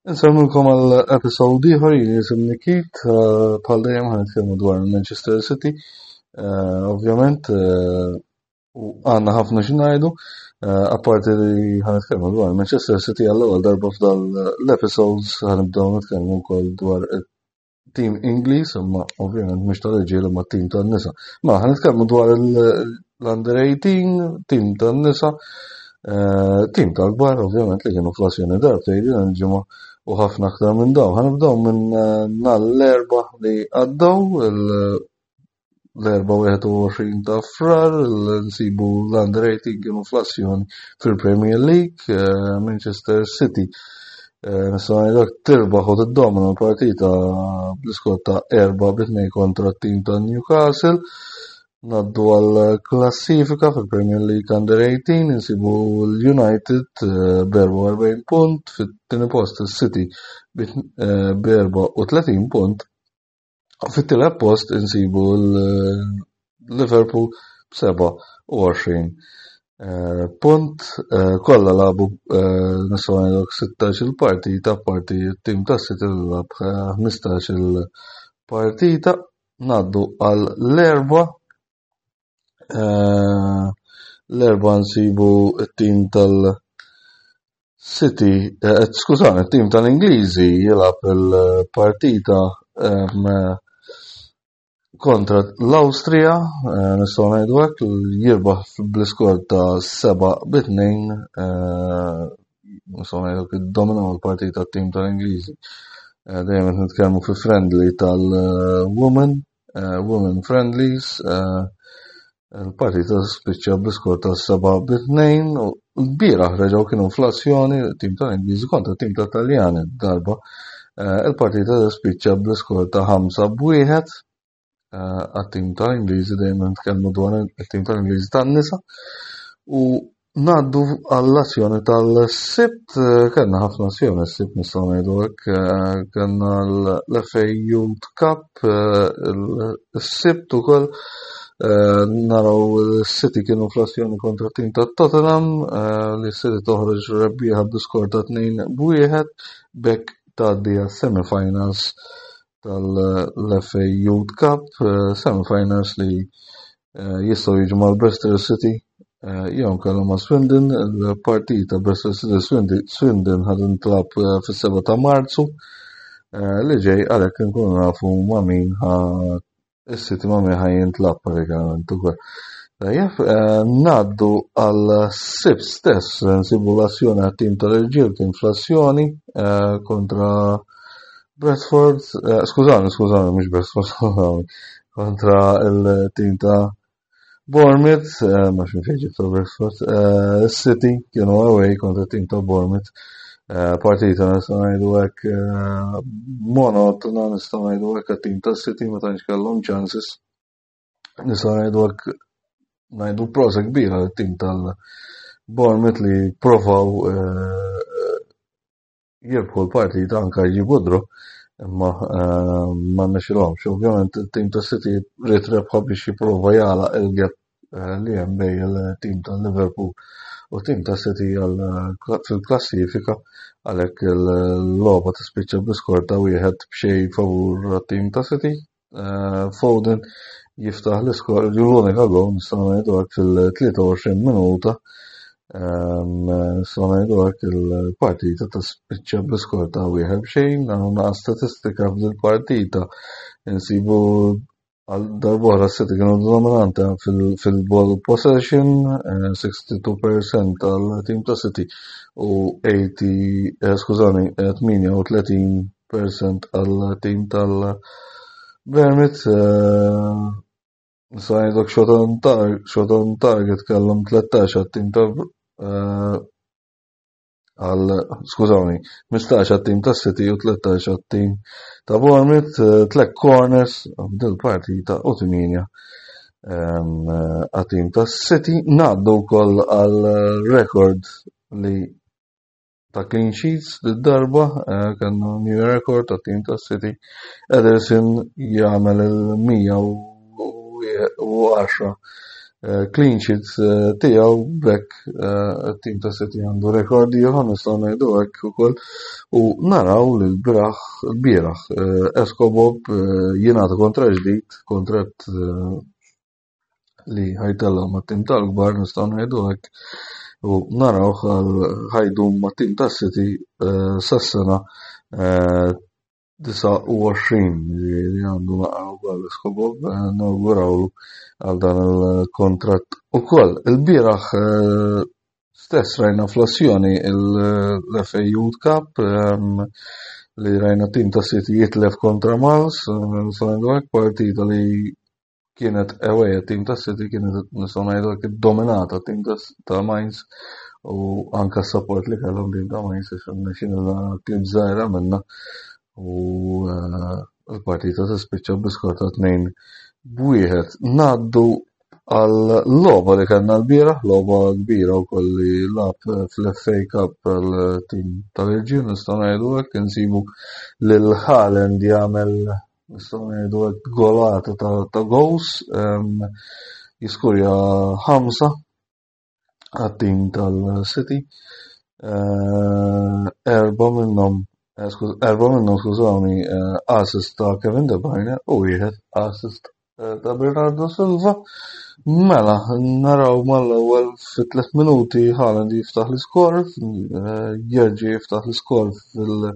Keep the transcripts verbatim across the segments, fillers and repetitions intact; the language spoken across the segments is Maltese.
Insellmilkom għal episode ieħor. Jien jisimni Keith, eh, bħal dejjem ħa nitkellmu dwar Manchester City. Eh, ovvjament eh, u għandna ħafna xi ngħidu, apparti li ħa nitkellmu dwar Manchester City, għall-ewwel darba f'dal l-episodes ħa nibdew nitkellmu wkoll dwar tim Ingliż, imma ovvjament mhux tal-irġiel imma tim tan-nisa. Ma ħa nitkellmu dwar l-Under eighteen, tim tan-nisa, tim tal-kbar ovvjament li kienu fl-azzjoni darbtejn din il-ġimgħa u ħafna aktar minn dawn. Ħa nibdew minn eh, nhar l-Erbgħa li għaddew, l-Erbgħa wieħed u għoxrin ta' Frar, nsibu l-Under eighteen kienu fl-azzjoni fil-Premier League, eh, Manchester City. Eh, nistgħu ngħidu tirbaħ u tiddomina l-partita bl-iskor ta' erba' bi tnejn kontra t-tim ta' Newcastle. Ngħaddu għal klassifika fil-Premier League Under eighteen, insibu l-United eh, b'erbgħa u erbgħin punt, fit-tieni post il-City b'erbgħa u tletin punt, fit-tielet post insibu l-Liverpool b'sebgħa u għoxrin eh, punt. eh, kollha lagħbu, nistgħu ngħidu, sittax il-partita, parti t-tim ta' City li lagħab ħmistax il-partita. Ngħaddu għal l-Erbgħa. Eh, l-Erbgħa nsibu it-tim tal-City, eh, skużani, it-tim tal-Ingliżi jilgħab il-partita kontra l-Awstrija, eh, nistgħu ngħidu hekk, jirbaħ bl-iskor ta' seba' bi tnejn, nistgħu ngħidu iddominaw il-partita t-tim tal-Ingliżi. Dejjem qed nitkellmu fi friendly tal-Women, Women Friendlies. Il-partita spiċċa bl-iskor ta' seba' bi tnejn u l-bieraħ reġgħu kienu fl-azzjoni tim tal-Ingliżi kontra tim ta' Taljani darba. Eh, il-partita spiċċa bl-iskor ta' ħamsa b'wieħed eh, għat-tim tal-Ingliżi, dejjem nitkellmu dwar it-tim tal-Ingliżi tan-nisa. U ngħaddu għall-azzjoni tal-Sibt, eh, kellna ħafna azzjoni s-Sibt, nistgħu ngħidu hekk, kellna l-F A Youth Cup is-Sibt ukoll. Eh, naraw City kienu fl-azzjoni kontra tim ta' Tottenham, eh, li City toħroġ rebbieħa bl-iskor ta' tnejn b'wieħed, b'hekk tgħaddi għas-semifinals tal-F A Youth Cup, eh, semifinals li jistgħu jiġu mal-Bristol City jew kellhom ma' Swindon. Il-partita Bristol City Swindon ħa tintlagħab fis-seba' ta' Marzu li ġej, għalhekk nkunu nafu ma' min is-City ma' min ħa jintlagħab pratikament ukoll. Tajjeb, eh, ngħaddu għal Sibt stess, nsibu l-azzjoni għat-tim tal-irġiel kien fl-azzjoni eh, kontra Bradford, eh, skużani, skużani, mhux Bradford, skużani, kontra il-tim ta' Bournemouth, ma xin fejġi ta' Bradford, City kienu away kontra tim ta' Bournemouth. Partita, nistgħu ngħidu hekk, monotona, nistgħu ngħidu hekk, għat-tim ta' City ma tantx kellhom chances. Nistgħu ngħidu hekk, ngħidu prosit kbira għat-tim tal-Bournemouth li provaw jirbħu l-partita, anka jġibu draw, imma ma rnexxilhomx. Ovvjament il-tim ta' City ried rebħa biex jipprova jagħlaq il-gap li hemm bejn il-tim tal-Liverpool u tim ta' City fil-klassifika, għalhekk il-logħba tispiċċa bl-iskor ta' wieħed b'xejn favur tim ta' City. Eh, Foden jiftaħ l-iskor, l-unika gol, nistgħu ngħidu hekk, fil-tlieta u għoxrin minuta. Nistgħu ngħidu hekk, il-partita tispiċċa bl-iskor ta' wieħed b'xejn. Għandna statistika fil-partita, insibu għal darb'oħra City kienu dominanti fil-ball possession, sixty-two percent tal-team ta' City u eighty, eh, skużani, tmienja u tletin percent għal team tal-Bournemouth. Nista' ngħidlek shot on target kellhom tlettax għat-tim ta' eh, għal, skużawni, ħmistax għat-tim ta' City u tlettax għat-tim ta' Bournemouth, eh, tliet corners dil-partita u tmienja għat-tim ta' City. Ngħaddu wkoll għal record li ta' clean sheets darba eh, kellna new record ta' tim ta' City. Ederson jagħmel il-mija u għaxra Clean sheet tiegħu. B'hekk it-tim ta' City għandu rekord ieħor, nistgħu ngħidu hekk ukoll, u naraw li l-bieraħ l-bieraħ Escobob jingħata kontratt ġdid, kontratt li ħa jtella' mat-tim tal-kbar, nistgħu ngħidu hekk, u naraw ħa jdum mat-tim ta' City sas-sena disgħa u għoxrin, li għandu naqra wkoll Escobob, nawgurawlu għal dan il-kontratt ukoll. Il-bieraħ stess rajna fl-azzjoni l-F A Youth Cup, li rajna tim ta' City jitlef kontra Mals, nistgħu ngħidu hekk, partita li kienet away tim ta' City, kienet, nistgħu ngħidu hekk, dominata tim ta' Mainz, u anka support li kellhom tim ta' Mainz, għax rnexxielna klib żgħira minna, u l-partita tispiċċa bl-iskor ta' tnejn b'wieħed. Ngħaddu għal logħba li kellna l-bieraħ, logħba kbira wkoll li lagħab fl-F A Cup għal-tim tal-irġiel, nistgħu ngħidu hekk, insibu lil Haaland jagħmel, nistgħu ngħidu hekk, golata ta' goals, jiskurja ħamsa għat-tim tal-City, erba' minnhom, erba' minnhom, skużawni, assist ta' Kevin De Bruyne u wieħed assist ta' Bernardo Silva. Mela, naraw mal-ewwel fi tliet minuti Haaland jiftaħ l-iskor, jerġa' jiftaħ l-iskor fil-,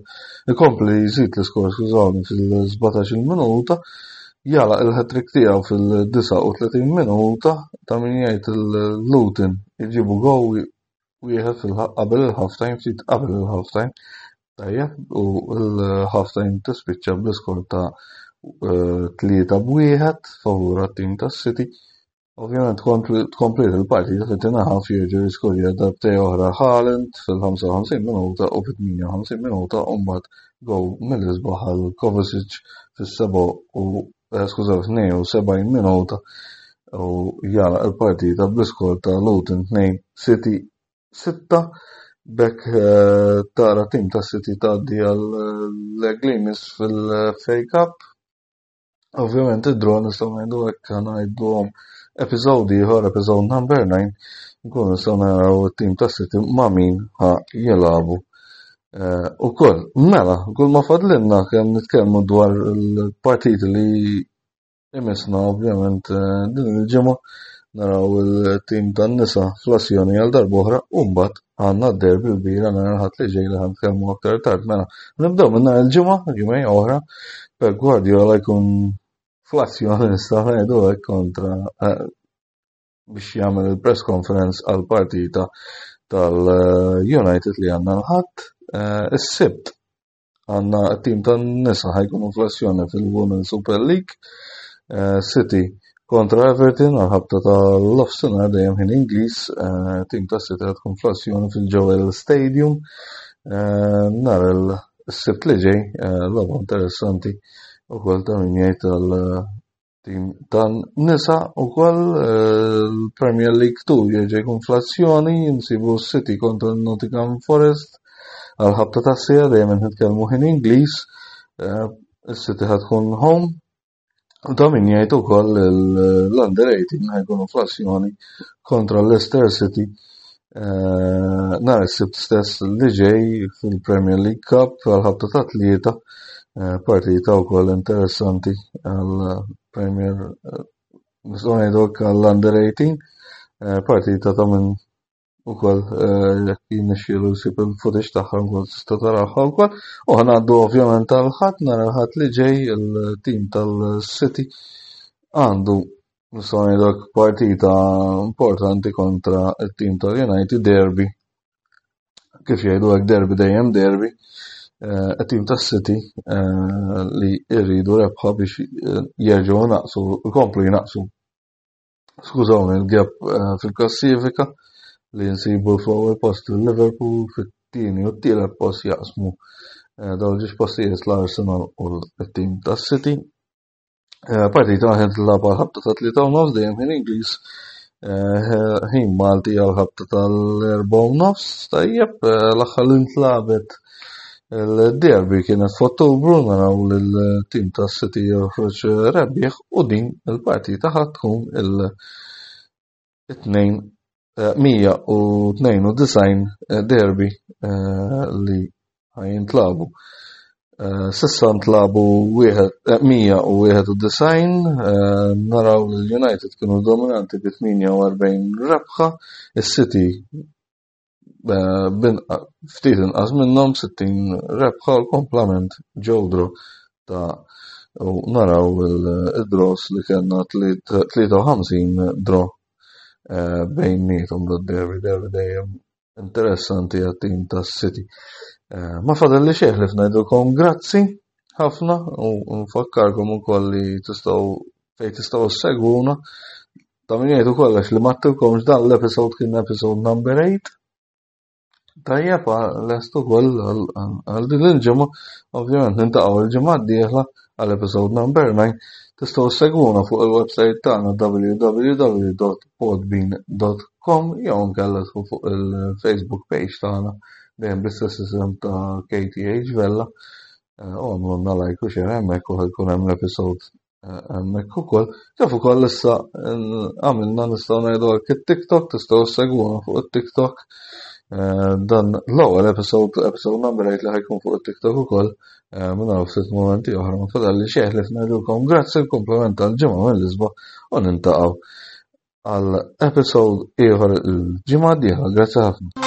ikompli jżid l-iskor, skużawni, fil-sbatax-il minuta, jagħlaq il-hat-trick tiegħu fil-disgħa u tletin minuta, ta' min jgħid il-Luton jġibu goal wieħed qabel il-half-time, ftit qabel il-half-time, tajjeb, u l-half-time tispiċċa bl-iskor ta' tlieta b'wieħed favur għat-tim tas-City. Ovvjament tkompli il-partita fit-tieni half, jerġa' jiskorja darbtejn oħra Haaland fil-ħamsa u ħamsin minuta u fit-tmienja u ħamsin minuta, u mbagħad goal mill-isbaħ għal Kovacic fis-seba' u, skużaw, tnejn u sebgħin minuta, u jagħlaq il-partita bl-iskor ta' Luton tnejn City sitta. B'hekk tara tim ta' City tgħaddi għal leg li jmiss fil-F A Cup. Ovvjament id-draw, nistgħu ngħidu hekk, ngħiduhom episode ieħor, episode number nine, nkunu nistgħu naraw it-tim ta' City ma' min ħa jilagħbu ukoll. Mela, kull ma fadlilna kemm nitkellmu dwar il-partiti li imisna ovvjament din il-ġimgħa, naraw il-tim tan-nisa fl-azzjoni għal darb'oħra, u mbagħad għandna d-derby l-kbira nhar il-Ħadd li ġej li ħa nitkellmu aktar tard. Mela, nibdew minn nhar il-Ġimgħa, ġimgħa oħra, Pep Guardiola jkun fl-azzjoni, nistgħu ngħidu hekk, kontra biex jagħmel il-press conference għal partita tal-United li għandna l-Ħadd. Is-Sibt għandna t-tim tan-nisa ħa jkunu fl-azzjoni fil-Women Super League, City kontra Everton għal ħabta tal-nofsinhar dejjem ħin Ingliż, tim ta' City ħa tkun fl-azzjoni fil-Joel Stadium. Nhar il-Sibt li ġej, logħba interessanti ukoll ta' min jgħid għal-tim tan-nisa. Ukoll il-Premier League two jerġa' jkun fl-azzjoni, nsibu City kontra Nottingham Forest għal ħabta ta' sija dejjem nitkellmu ħin Ingliż, is-City ħa tkun home. U ta' min jgħid ukoll l-under eighteen ħa jkunu fl-azzjoni kontra Leicester City nhar is-Sibt stess li ġej fil-Premier League Cup għal ħabta ta' tlieta, partita wkoll interessanti għal Premier, nistgħu ngħidu hekk, għall-under eighteen, partita ta' min ukoll jekk jirnexxielu jsib il-footage tagħha wkoll tista' taraha wkoll. U ħa ngħaddu ovvjament għall-Ħadd, nhar il-Ħadd li ġej il-tim tal-City għandu, nistgħu ngħidu hekk, partita importanti kontra t-tim tal-United, derby. Kif jgħidu hekk, derby dejjem derby. It-tim tas-City li jridu rebħa biex jerġgħu naqsu, ikomplu jnaqsu, skużawni, il-gap fil-klassifika li nsibu fl-ewwel post il-Liverpool, fit-tieni u t-tielet post jaqsmu dawn ġiex postijiet l-Arsenal u t-tim tas-City. Partita ħin tilgħab għal ħabta ta' tlieta u nofs dejjem ħin Ingliż, ħin Malti għal ħabta tal-erba' u nofs. Tajjeb, l-aħħar li ntlagħbet il-derby kienet f'Ottubru, naraw lil-tim tas-City joħroġ rebbieħ, u din il-partita ħa tkun il- tnejn mija u tnejn u disgħin derby li ħa jintlabu. S'issa ntlabu mija u wieħed u disgħin, naraw li l-United kienu dominanti bi tmienja u erbgħin rebħa, is-City ftit inqas minnhom sittin rebħa u l-komplament ġew draw ta' u naraw il-draws li kellna tlieta u ħamsin draw bejniethom d-derby, derby dejjem interessanti għat-tim tas-City. Ma fadal li xejn li ngħidulkom grazzi ħafna u nfakkarkom ukoll li tistgħu fejn tistgħu ssegwuna. Ta' min jgħid ukoll għax li ma għedtilkomx dan l-episode kien episode number eight. Tajjeb, lest ukoll għal din il-ġimgħa, ovvjament nintaqgħu il-ġimgħa d-dieħla għal episode number nine. Tistgħu ssegwuna fuq il-website tagħna w w w dot podbean dot com jew inkella tfu fuq il-Facebook page tagħna dejjem bl-istess isem ta' K T H Vella. U għamlulna like u share hemmhekk u jkun hemm l-episode hemmhekk ukoll. Kif ukoll issa għamilna nistgħu ngħidu hekk it-TikTok, tistgħu ssegwuna fuq it-TikTok. Dan l-ewwel episode, episode number eight li ħajkun fuq it-TikTok ukoll. Minn hawn ftit momenti oħra ma fadal li xejn li ngħidulkom grazzi l-kumplament tal-ġimgħa mill-isbaħ u nintaqgħu għal episode ieħor il-ġimgħa d-dieħla. Grazzi ħafna.